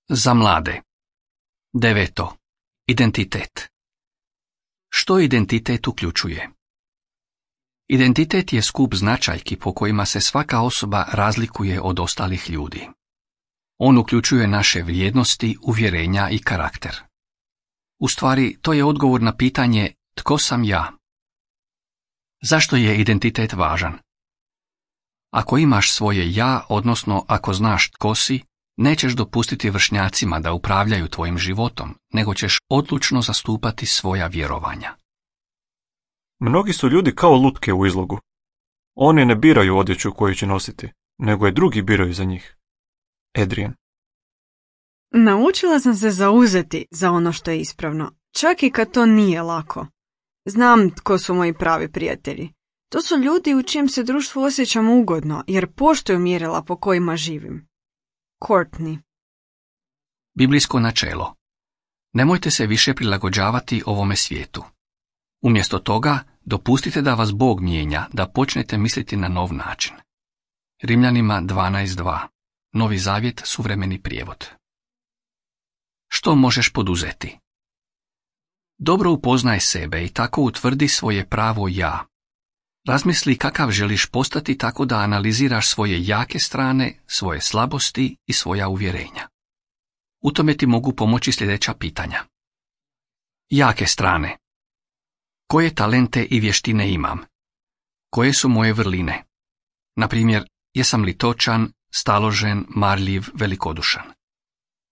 Za mlade. 9. Identitet. Što identitet uključuje? Identitet je skup značajki po kojima se svaka osoba razlikuje od ostalih ljudi. On uključuje naše vrijednosti, uvjerenja i karakter. U stvari, to je odgovor na pitanje tko sam ja? Zašto je identitet važan? Ako imaš svoje ja, odnosno ako znaš tko si, nećeš dopustiti vršnjacima da upravljaju tvojim životom, nego ćeš odlučno zastupati svoja vjerovanja. Mnogi su ljudi kao lutke u izlogu. Oni ne biraju odjeću koju će nositi, nego je drugi biraju za njih. Adrian. Naučila sam se zauzeti za ono što je ispravno, čak i kad to nije lako. Znam tko su moji pravi prijatelji. To su ljudi u čijem se društvu osjećam ugodno, jer poštuju mjerila po kojima živim. Courtney. Biblijsko načelo. Nemojte se više prilagođavati ovome svijetu. Umjesto toga, dopustite da vas Bog mijenja, da počnete misliti na nov način. Rimljanima 12.2. Novi Zavjet, suvremeni prijevod. Što možeš poduzeti? Dobro upoznaj sebe i tako utvrdi svoje pravo ja. Razmisli kakav želiš postati tako da analiziraš svoje jake strane, svoje slabosti i svoja uvjerenja. U tome ti mogu pomoći sljedeća pitanja. Jake strane. Koje talente i vještine imam? Koje su moje vrline? Na primjer, jesam li točan, staložen, marljiv, velikodušan?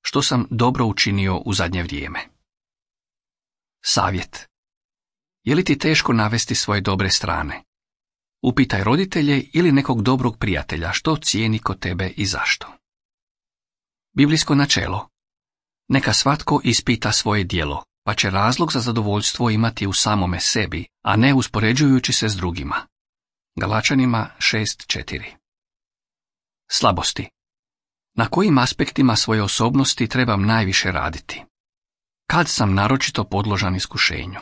Što sam dobro učinio u zadnje vrijeme? Savjet. Je li ti teško navesti svoje dobre strane? Upitaj roditelje ili nekog dobrog prijatelja što cijeni kod tebe i zašto. Biblijsko načelo. Neka svatko ispita svoje djelo, pa će razlog za zadovoljstvo imati u samome sebi, a ne uspoređujući se s drugima. Galačanima 6.4. Slabosti. Na kojim aspektima svoje osobnosti trebam najviše raditi? Kad sam naročito podložan iskušenju?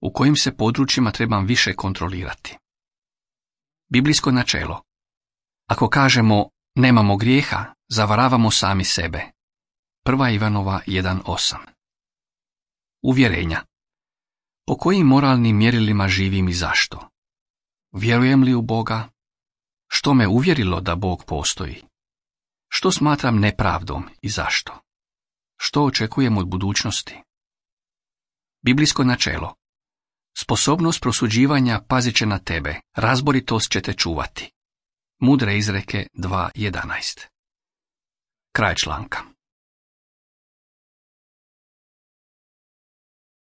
U kojim se područjima trebam više kontrolirati? Biblijsko načelo. Ako kažemo nemamo grijeha, zavaravamo sami sebe. 1. Ivanova 1.8. Uvjerenja. Po kojim moralnim mjerilima živim i zašto? Vjerujem li u Boga? Što me uvjerilo da Bog postoji? Što smatram nepravdom i zašto? Što očekujem od budućnosti? Biblijsko načelo. Sposobnost prosuđivanja pazit će na tebe, razboritost će te čuvati. Mudre izreke 2.11. Kraj članka.